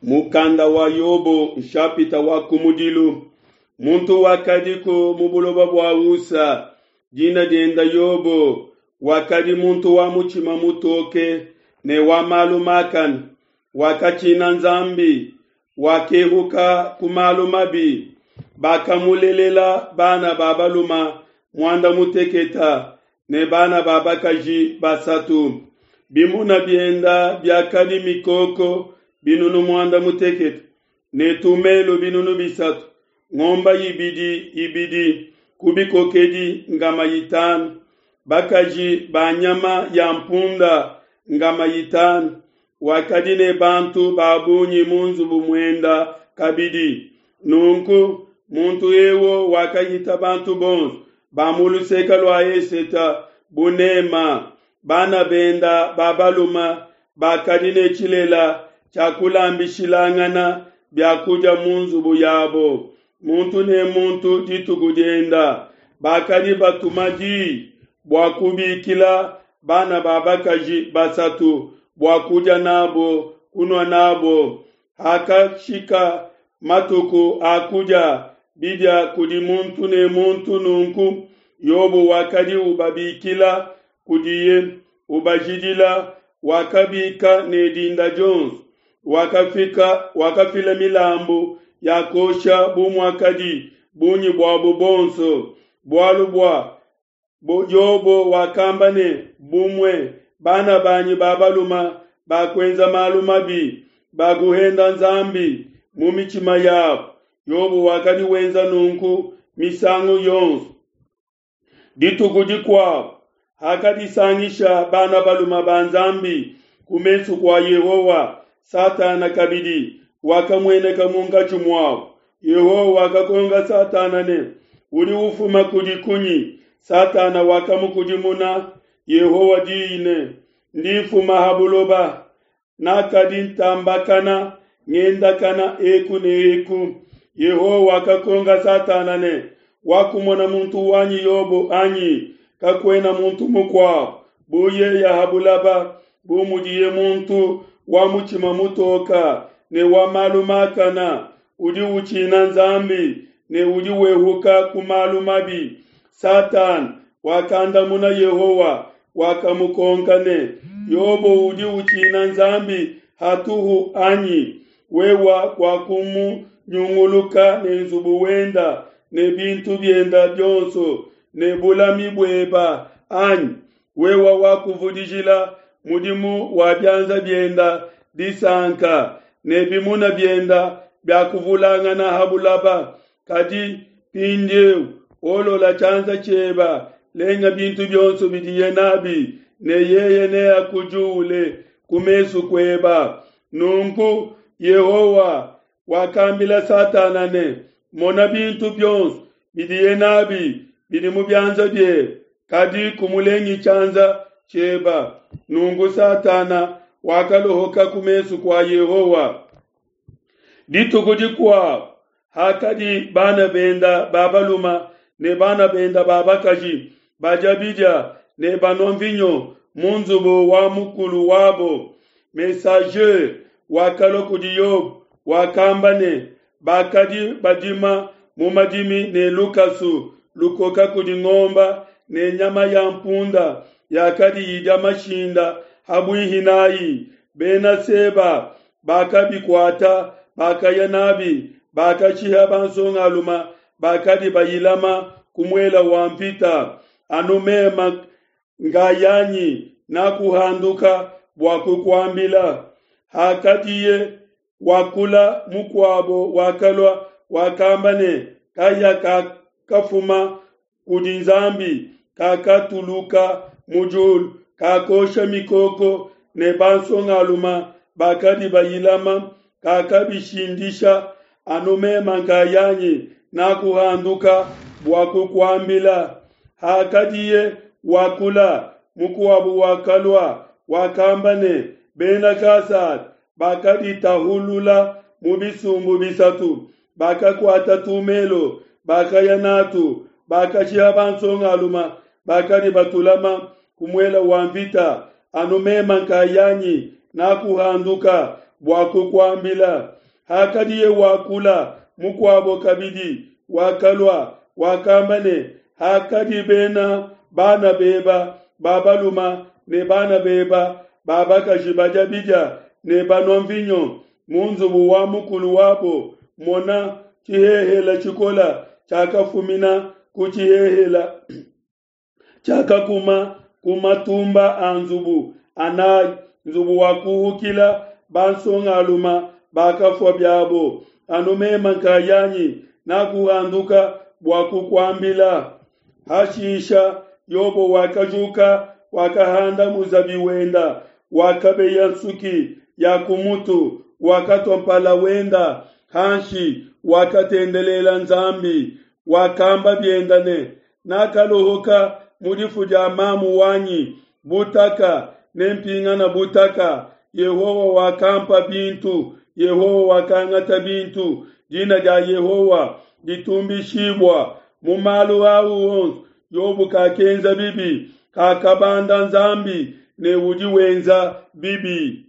Mukanda wa Yobo nshapita wa kumudilu. Muntu wakadiku mu buloba bua Usa, dina dienda Yobo, wakadi muntu wa mutshima mutoke ne wa malu makane, wakatshina Nzambi, wakehuka ku malu mabi. Bakamulelela bana ba balume muanda muteketa ne bana ba bakaji basatu. Bimuna bienda biakadi mikoko binunu muanda mutekete ne tumelo binunu bisatu, ngomba ibidi ibidi ku bikokedi ngama itanu, bakaji ba nyama ya mpunda ngama itanu. Wakadi ne bantu ba bungi mu nzubu muenda kabidi. Nunku muntu eu wakahita bantu bonso ba mu luseke lua Eseta bunema. Bana benda ba balume bakadi ne tshilela tshia kulambishilangana biakudia mu nzubu yabo, muntu ne muntu dituku dienda. Bakadi batuma di bua kubikila bana ba bakaji basatu bua kudia nabo, kunua nabo. Hakashika matuku a kudia bidia kudi muntu ne muntu nunku, Yobo wakadi ubabikila kudiye, ubajidila, wakabika ne dinda dionso, wakafika wakafila milambu ya kuosha bu muakadi bungi buabo bonso. Bualu bua Yobo wakamba ne, Bumue bana banyi ba balume bakuenza malu mabi, bakuhenda Nzambi mu mitshima yabo. Yobo wakadi wenza nunku misangu yonso. Dituku dikuabo hakadisangisha bana balume ba Nzambi ku mesu kua Yehowa, Satana kabidi wakamueneka munkatshi muabo. Yehowa wakakonka Satana ne, Udi ufuma kudi kunyi? Satana wakamukudimuna Yehowa diyi ne, Ndi mfuma ha buloba, nakadi ntambakana ngendakana eku ne eku. Yehowa wakakonka Satana ne, Wakumona muntu wanyi Yobo anyi? Kakuena muntu mukuabo bu yeye ha bulaba, bu mudiye muntu wa mutshima mutoka ne wa malu makana, udi utshina Nzambi ne udi wehuka ku malu mabi. Satana wakandamuna Yehowa, wakamukonka ne, Yobo udi utshina Nzambi hatuhu anyi? Wewa wakumunyunguluka ne nzubu wenda ne bintu bienda bionso ne bulami bueba anyi? Wewa wakuvudijila mudimu wa bianza bienda disanka, ne bimuna bienda biakuvulangana ha bulaba. Kadi mpindieu olola tshianza tshieba, lenga bintu bionso bidiye nabi, ne yeye neakujuule ku mesu kueba. Nunku Yehowa wakambila Satana ne, Mona bintu bionso bidiye nabi bidi mu bianza biebe, kadi kumulengi tshianza tshieba. Nunku Satana wakalohoka ku mesu kua Yehowa. Dituku dikuabo hakadi bana benda ba balume ne bana benda ba bakaji badia bidia ne banua mvinyo mu nzubu wa mukulu wabo, messager wakalua kudi Yobo, wakamba ne, Bakadi badima mu madimi ne lukasu lukoka kudi ngomba ne nyama ya mpunda yakadi idia mashinda ha buihi n'ai. Bena Seba bakabikuata, bakaya n'abi, bakashiha bansongalume bakadi bayilama ku muele wa nvita. Anu meme ngayanyi nakuhanduka bua kukuambila. Hakadiye wakula, mukuabo wakalua, wakamba ne, Kahia kakafuma kudi Nzambi, kakatuluka mu diulu, kakosha mikoko ne bansongalume bakadi bayilama, kakabishindisha. Anu meme nkayanyi nakuhanduka bua kukuambila. Hakadiye wakula, mukuabo wakalua, wakamba ne, Bena Kasada bakaditahulula mu bisumbu bisatu, bakakuata tumelo, bakaya n'atu, bakashiha bansongalume bakadi batulama ku muele wa nvita. Anu meme nkayanyi nakuhanduka. bua kukuambila. Hakadiye wakula, mukuabo kabidi wakalua, wakamba ne, Hakadi bena bana beba ba baluma ne bana beba ba bakaji badia bidia ne banua mvinyo mu nzubu wa mukulu wabo, mona, tshihehela tshikola tshiakafumina ku tshihehela tshiakakuma ku matumba a nzubu anayi, nzubu wakuhukila bansongaluma bakafua biabo, anu mema nkayanyi nakuhanduka bua kukuambila. Hashisha Yobo wakajuka, wakahanda muzabi wenda, wakabeya nsuki ya ku mutu, wakatua mpala wenda hanshi, wakatendelela Nzambi, wakamba bienda ne, Nakalohoka mu difu dia mamu wanyi butaka, nempingana butaka. Yehowa wakampa bintu, Yehowa wakangata bintu, dina dia Yehowa ditumbishibua. Mu malu au onso Yobo kakenza bibi, kakabanda Nzambi ne udi wenza bibi.